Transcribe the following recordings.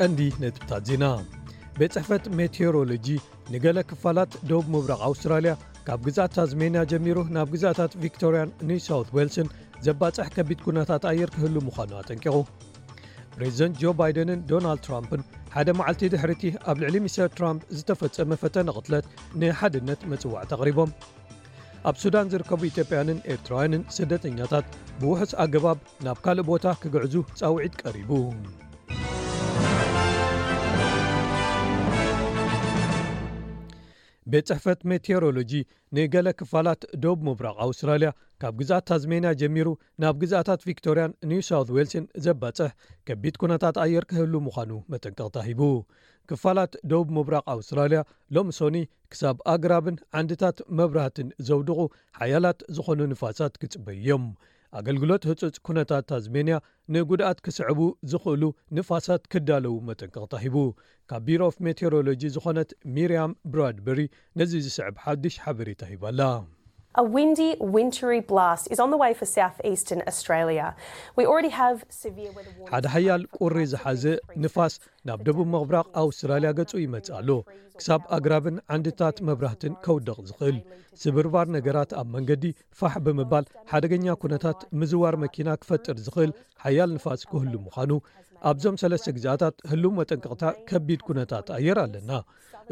ቀንዲ ነጥብታት ዜና። ቤት ጽሕፈት ሜቴዎሮሎጂ ንገለ ክፋላት ደቡብ ምብራቕ ኣውስትራልያ፣ ካብ ግዝኣት ታዝሜንያ ጀሚሩ ናብ ግዝኣታት ቪክቶርያን ኒው ሳውት ዌልስን ዘባጽሕ ከቢድ ኩነታት ኣየር ክህሉ ምዃኑ ኣጠንቂቑ። ፕሬዚደንት ጆ ባይደንን ዶናልድ ትራምፕን ሓደ መዓልቲ ድሕሪቲ ኣብ ልዕሊ ሚስተር ትራምፕ ዝተፈጸመ ፈተነ ቅትለት ንሓድነት መጽዋዕታ ኣቕሪቦም። ኣብ ሱዳን ዝርከቡ ኢትዮጵያውያንን ኤርትራውያንን ስደተኛታት ብውሑስ ኣገባብ ናብ ካልእ ቦታ ክግዕዙ ጻውዒት ቀሪቡ። ቤት ጽሕፈት ሜቴዎሮሎጂ ንገለ ክፋላት ደቡብ ምብራቕ ኣውስትራልያ፣ ካብ ግዝኣት ታዝሜንያ ጀሚሩ ናብ ግዝኣታት ቪክቶርያን ኒው ሳውት ዌልስን ዘባጽሕ ከቢድ ኩነታት ኣየር ክህሉ ምዃኑ መጠንቀቕታ ሂቡ። ክፋላት ደቡብ ምብራቕ ኣውስትራልያ ሎሚ ሶኒ ክሳብ ኣግራብን ዓንድታት መብራህትን ዘውድቑ ሓያላት ዝኾኑ ንፋሳት ክጽበዩ እዮም። ኣገልግሎት ህጹጽ ኩነታት ታዝሜንያ ንጉድኣት ክስዕቡ ዝኽእሉ ንፋሳት ክዳለዉ መጠንቀቕታ ሂቡ። ካብ ቢሮ ኦፍ ሜቴዎሮሎጂ ዝኾነት ሚርያም ብራድበሪ ነዚ ዝስዕብ ሓድሽ ሓበሬታ ሂባላ። A windy, wintry blast is on the way for southeastern Australia. We already have severe weather warnings. ሓደ ሓያል ቁሪ ዝሓዘ ንፋስ ናብ ደቡብ ምብራቕ ኣውስትራልያ ገጹ ይመጽእ ኣሎ። ክሳብ ኣግራብን ዓንድታት መብራህትን ከውድቕ ዝኽእል፣ ስብርባር ነገራት ኣብ መንገዲ ፋሕ ብምባል ሓደገኛ ኩነታት ምዝዋር መኪና ክፈጥር ዝኽእል ሓያል ንፋስ ክህሉ ምዃኑ ኣብዞም ሰለስተ ግዝኣታት ህሉው መጠንቀቕታ ከቢድ ኩነታት ኣየር ኣለና።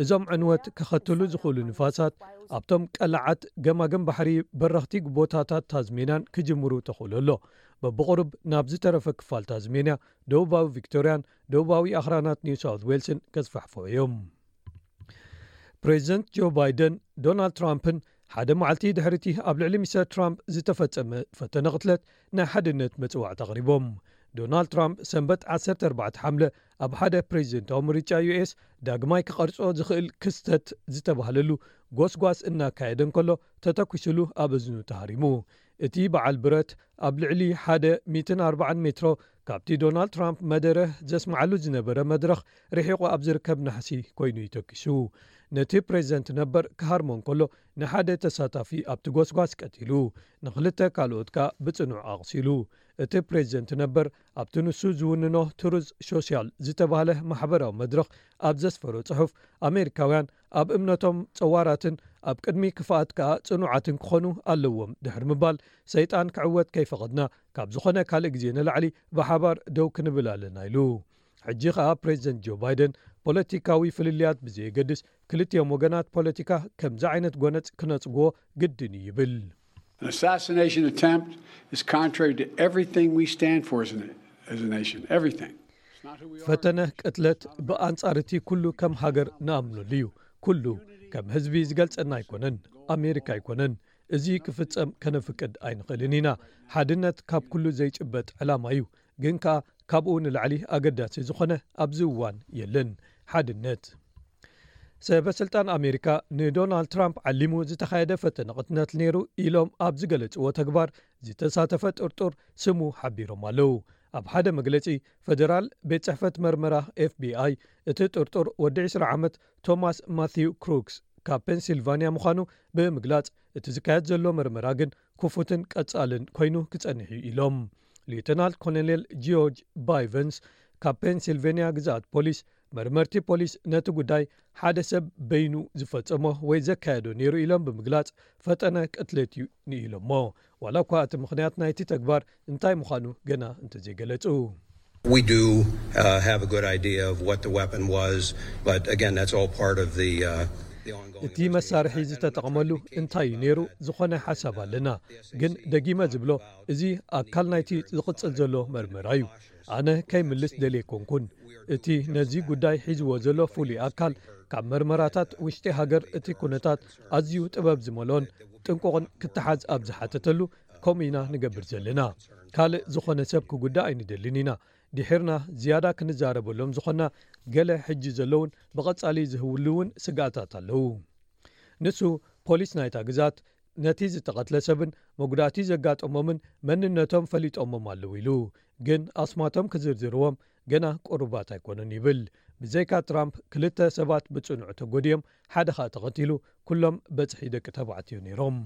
እዞም ዕንወት ከኸትሉ ዝኽእሉ ንፋሳት ኣብቶም ቀላዓት ገማግም ባሕሪ በረኽቲ ቦታታት ታዝሜንያን ክጅምሩ ተኽእሎ ኣሎ። በብቕሩብ ናብ ዝተረፈ ክፋል ታዝሜንያ፣ ደቡባዊ ቪክቶርያን ደቡባዊ ኣኽራናት ኒው ሳውት ዌልስን ከስፋሕፍሑ እዮም። ፕሬዚደንት ጆ ባይደን ዶናልድ ትራምፕን ሓደ መዓልቲ ድሕሪቲ ኣብ ልዕሊ ሚስተር ትራምፕ ዝተፈጸመ ፈተነ ቅትለት ናይ ሓድነት መጽዋዕታ ኣቕሪቦም። ዶናልድ ትራምፕ ሰንበት ዓሰርተ ኣርባዕተ ሓምለ ኣብ ሓደ ፕሬዚደንታዊ ምርጫ ዩ ኤስ ዳግማይ ክቐርጾ ዝኽእል ክስተት ዝተባህለሉ ጎስጓስ እናካየደ እንከሎ ተተኲሱሉ ኣብ እዝኑ ተሃሪሙ። እቲ በዓል ብረት ኣብ ልዕሊ ሓደ ሚእትን ኣርባዓን ሜትሮ ካብቲ ዶናልድ ትራምፕ መደረ ዘስምዓሉ ዝነበረ መድረኽ ርሒቑ ኣብ ዝርከብ ናሕሲ ኮይኑ እዩ ተኪሱ። ነቲ ፕሬዚደንት ነበር ክሃርሞ እንከሎ ንሓደ ተሳታፊ ኣብቲ ጎስጓስ ቀቲሉ፣ ንኽልተ ካልኦት ከኣ ብጽኑዕ ኣቕሲሉ። እቲ ፕሬዚደንት ነበር ኣብቲ ንሱ ዝውንኖ ትሩዝ ሶሻል ዝተባህለ ማሕበራዊ መድረኽ ኣብ ዘስፈሮ ጽሑፍ፣ ኣሜሪካውያን ኣብ እምነቶም ጸዋራትን ኣብ ቅድሚ ክፍኣት ከኣ ጽኑዓትን ክኾኑ ኣለዎም ድሕሪ ምባል፣ ሰይጣን ክዕወት ከይፈቐድና ካብ ዝኾነ ካልእ ግዜ ንላዕሊ ብሓባር ደው ክንብል ኣለና ኢሉ። ሕጂ ከኣ ፕሬዚደንት ጆ ባይደን ፖለቲካዊ ፍልልያት ብዘየገድስ ክልቲኦም ወገናት ፖለቲካ ከምዚ ዓይነት ጎነጽ ክነጽግዎ ግድን እዩ ይብል። An assassination attempt is contrary to everything we stand for as a, as a nation. Everything. It's not who we are. ፈተነ ቅትለት ብኣንጻር እቲ ኩሉ ከም ሃገር ንኣምነሉ እዩ። ኩሉ ከም ህዝቢ ዝገልጸና ኣይኮነን፣ ኣሜሪካ ኣይኮነን። እዚ ክፍጸም ከነፍቅድ ኣይንኽእልን ኢና። ሓድነት ካብ ኩሉ ዘይጭበጥ ዕላማ እዩ፣ ግን ከኣ ካብኡ ንላዕሊ ኣገዳሲ ዝኾነ ኣብዚ እዋን የለን። ሓድነት። ሰበ ስልጣን ኣሜሪካ ንዶናልድ ትራምፕ ዓሊሙ ዝተኻየደ ፈተነ ቅትለት ነይሩ ኢሎም ኣብ ዝገለጽዎ ተግባር ዝተሳተፈ ጥርጡር ስሙ ሓቢሮም ኣለዉ። ኣብ ሓደ መግለጺ፣ ፈደራል ቤት ጽሕፈት መርመራ ኤፍ ቢ ኣይ እቲ ጥርጡር ወዲ ዕስራ ዓመት ቶማስ ማቲው ክሩክስ ካብ ፔንሲልቫንያ ምዃኑ ብምግላጽ፣ እቲ ዝካየድ ዘሎ መርመራ ግን ክፉትን ቀጻልን ኮይኑ ክጸንሕ እዩ ኢሎም። ሌተናል ኮሎኔል ጂዮርጅ ባይቨንስ ካብ ፔንሲልቬንያ ግዝኣት ፖሊስ፣ መርመርቲ ፖሊስ ነቲ ጉዳይ ሓደ ሰብ በይኑ ዝፈጸሞ ወይ ዘካየዶ ነይሩ ኢሎም ብምግላጽ፣ ፈጠነ ቅትለት እዩ ንኢሎሞ። ዋላ እኳ እቲ ምኽንያት ናይቲ ተግባር እንታይ ምዃኑ ገና እንተዘይገለጹ። We do uh, have a good idea of what the weapon was, but again, that's all part of the, uh, the ongoing እቲ መሳርሒ ዝተጠቕመሉ እንታይ እዩ ነይሩ ዝኾነ ሓሳብ ኣለና፣ ግን ደጊመ ዝብሎ እዚ ኣካል ናይቲ ዝቕጽል ዘሎ መርመራ እዩ። ኣነ ከይምልስ ደልየ ኣይኮንኩን። እቲ ነዚ ጉዳይ ሒዝዎ ዘሎ ፍሉይ ኣካል ካብ መርመራታት ውሽጢ ሃገር እቲ ኩነታት ኣዝዩ ጥበብ ዝመልኦን ጥንቁቕን ክተሓዝ ኣብ ዝሓተተሉ ከምኡ ኢና ንገብር ዘለና። ካልእ ዝኾነ ሰብ ክጉዳእ ኣይንደልን ኢና። ድሒርና ዝያዳ ክንዛረበሎም ዝኾንና ገለ ሕጂ ዘለውን ብቐጻሊ ዝህልውን ስግኣታት ኣለዉ። ንሱ ፖሊስ ናይታ ግዝኣት ነቲ ዝተቐትለ ሰብን መጉዳእቲ ዘጋጠሞምን መንነቶም ፈሊጦሞም ኣለዉ ኢሉ፣ ግን ኣስማቶም ክዝርዝርዎም ገና ቅሩባት ኣይኮኑን ይብል። ብዘይካ ትራምፕ ክልተ ሰባት ብጽኑዕ ተጎዲኦም፣ ሓደ ኸኣ ተቐቲሉ፣ ኩሎም በጽሒ ደቂ ተባዕትዮ ነይሮም።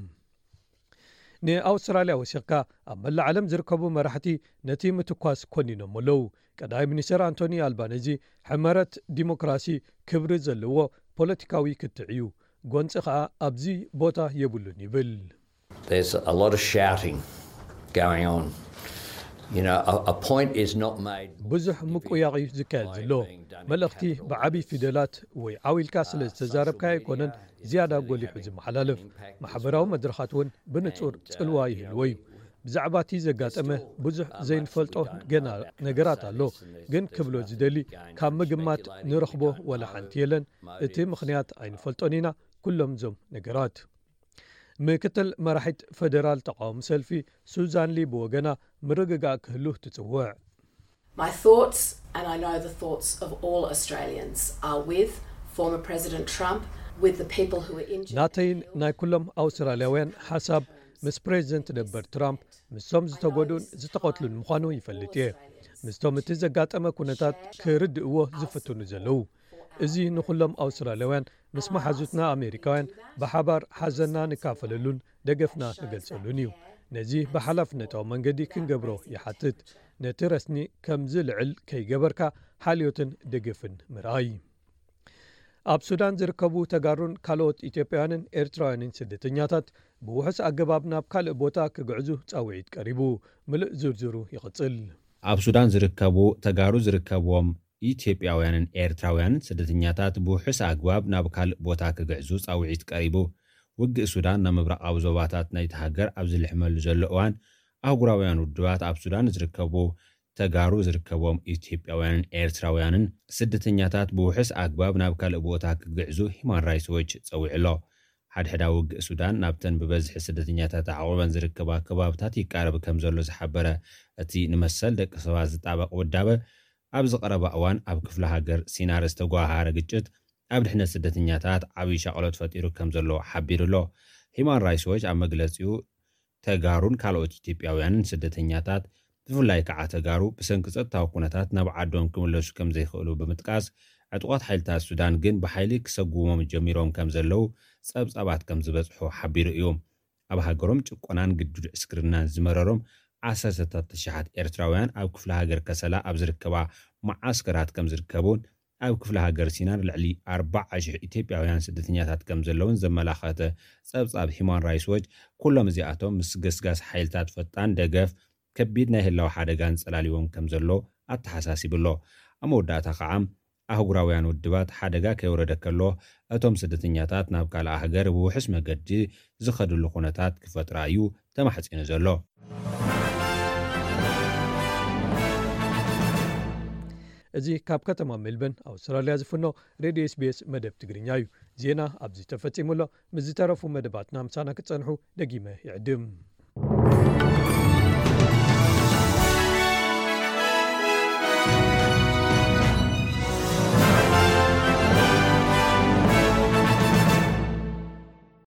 ንኣውስትራልያ ወሲኽካ ኣብ መላእ ዓለም ዝርከቡ መራሕቲ ነቲ ምትኳስ ኮኒኖም ኣለዉ። ቀዳማይ ሚኒስትር ኣንቶኒ ኣልባነዚ ሕመረት ዲሞክራሲ ክብሪ ዘለዎ ፖለቲካዊ ክትዕ እዩ፣ ጎንፂ ኸኣ ኣብዚ ቦታ የብሉን ይብል። There's a lot of shouting going on. You know, a, a point is not made. ብዙሕ ምቁያቕ እዩ ዝካየድ ዘሎ። መልእኽቲ ብዓብዪ ፊደላት ወይ ዓው ኢልካ ስለ ዝተዛረብካ ኣይኮነን ዝያዳ ጎሊሑ ዝመሓላለፍ። ማሕበራዊ መድረኻት እውን ብንጹር ጽልዋ ይህልዎ እዩ። ብዛዕባ እቲ ዘጋጠመ ብዙሕ ዘይንፈልጦ ገና ነገራት ኣሎ፣ ግን ክብሎ ዝደሊ ካብ ምግማት ንረኽቦ ወላ ሓንቲ የለን። እቲ ምኽንያት ኣይንፈልጦን ኢና። ኩሎም እዞም ነገራት ምክትል መራሒት ፈደራል ተቃውሞ ሰልፊ ሱዛን ሊ ብወገና ምርግጋእ ክህሉ ትጽውዕ። My thoughts, and I know the thoughts of all Australians, are with former President Trump, with the people who were injured. ናተይን ናይ ኩሎም ኣውስትራልያውያን ሓሳብ ምስ ፕሬዚደንት ነበር ትራምፕ ምስቶም ዝተጎድኡን ዝተቐትሉን ምዃኑ ይፈልጥ እየ። ምስቶም እቲ ዘጋጠመ ኩነታት ክርድእዎ ዝፍትኑ ዘለዉ። እዚ ንኹሎም ኣውስትራልያውያን ምስ መሓዙትና ኣሜሪካውያን ብሓባር ሓዘንና ንካፈለሉን ደገፍና ንገልጸሉን እዩ። ነዚ ብሓላፍነታዊ መንገዲ ክንገብሮ ይሓትት። ነቲ ረስኒ ከም ዝልዕል ከይገበርካ ሓልዮትን ደገፍን ምርኣይ። ኣብ ሱዳን ዝርከቡ ተጋሩን ካልኦት ኢትዮጵያውያንን ኤርትራውያንን ስደተኛታት ብውሑስ ኣገባብ ናብ ካልእ ቦታ ክግዕዙ ጻውዒት ቀሪቡ። ምሉእ ዝርዝሩ ይቕጽል። ኣብ ሱዳን ዝርከቡ ተጋሩ ዝርከብዎም ኢትዮጵያውያንን ኤርትራውያንን ስደተኛታት ብውሑስ ኣግባብ ናብ ካልእ ቦታ ክግዕዙ ጻውዒት ቀሪቡ። ውግእ ሱዳን ናብ ምብራቓዊ ዞባታት ናይቲ ሃገር ኣብ ዝልሕመሉ ዘሎ እዋን ኣህጉራውያን ውድባት ኣብ ሱዳን ዝርከቡ ተጋሩ ዝርከብዎም ኢትዮጵያውያንን ኤርትራውያንን ስደተኛታት ብውሑስ ኣግባብ ናብ ካልእ ቦታ ክግዕዙ ሂማን ራይትስ ዎች ጸዊዑ ኣሎ። ሓድሕዳ ውግእ ሱዳን ናብተን ብበዝሒ ስደተኛታት ኣዕቑበን ዝርከባ ከባብታት ይቃረብ ከም ዘሎ ዝሓበረ እቲ ንመሰል ደቂ ሰባት ዝጣበቕ ውዳበ፣ ኣብዚ ቀረባ እዋን ኣብ ክፍለ ሃገር ሲናር ዝተጓሃረ ግጭት ኣብ ድሕነት ስደተኛታት ዓብዪ ሻቕሎት ፈጢሩ ከም ዘሎ ሓቢሩ ኣሎ። ሂማን ራይትስ ዎች ኣብ መግለጺኡ ተጋሩን ካልኦት ኢትዮጵያውያንን ስደተኛታት ብፍላይ ከዓ ተጋሩ ብሰንኪ ጸጥታዊ ኩነታት ናብ ዓዶም ክምለሱ ከም ዘይኽእሉ ብምጥቃስ ዕጡቓት ሓይልታት ሱዳን ግን ብሓይሊ ክሰጉሞም ጀሚሮም ከም ዘለዉ ጸብጻባት ከም ዝበጽሑ ሓቢሩ እዩ። ኣብ ሃገሮም ጭቆናን ግዱድ ዕስክርናን ዝመረሮም ዓሰርተታት ተሽሓት ኤርትራውያን ኣብ ክፍለ ሃገር ከሰላ ኣብ ዝርከባ መዓስከራት ከም ዝርከቡን ኣብ ክፍለ ሃገር ሲናር ልዕሊ ኣርባዓ ሽሕ ኢትዮጵያውያን ስደተኛታት ከም ዘለውን ዘመላኸተ ጸብጻብ ሂማን ራይትስ ዎች ኩሎም እዚኣቶም ምስ ገስጋስ ሓይልታት ፈጣን ደገፍ ከቢድ ናይ ህላው ሓደጋን ጸላሊዎም ከም ዘሎ ኣተሓሳሲቡ ኣሎ። ኣብ መወዳእታ ከዓ ኣህጉራውያን ውድባት ሓደጋ ከይወረደ ከሎ እቶም ስደተኛታት ናብ ካልእ ሃገር ብውሑስ መገዲ ዝኸድሉ ኩነታት ክፈጥራ እዩ ተማሕጺኑ ዘሎ። እዚ ካብ ከተማ ሜልበርን ኣውስትራልያ ዝፍኖ ሬድዮ ኤስቢኤስ መደብ ትግርኛ እዩ። ዜና ኣብዚ ተፈጺሙ ኣሎ። ምስ ዝተረፉ መደባትና ምሳና ክትጸንሑ ደጊመ ይዕድም።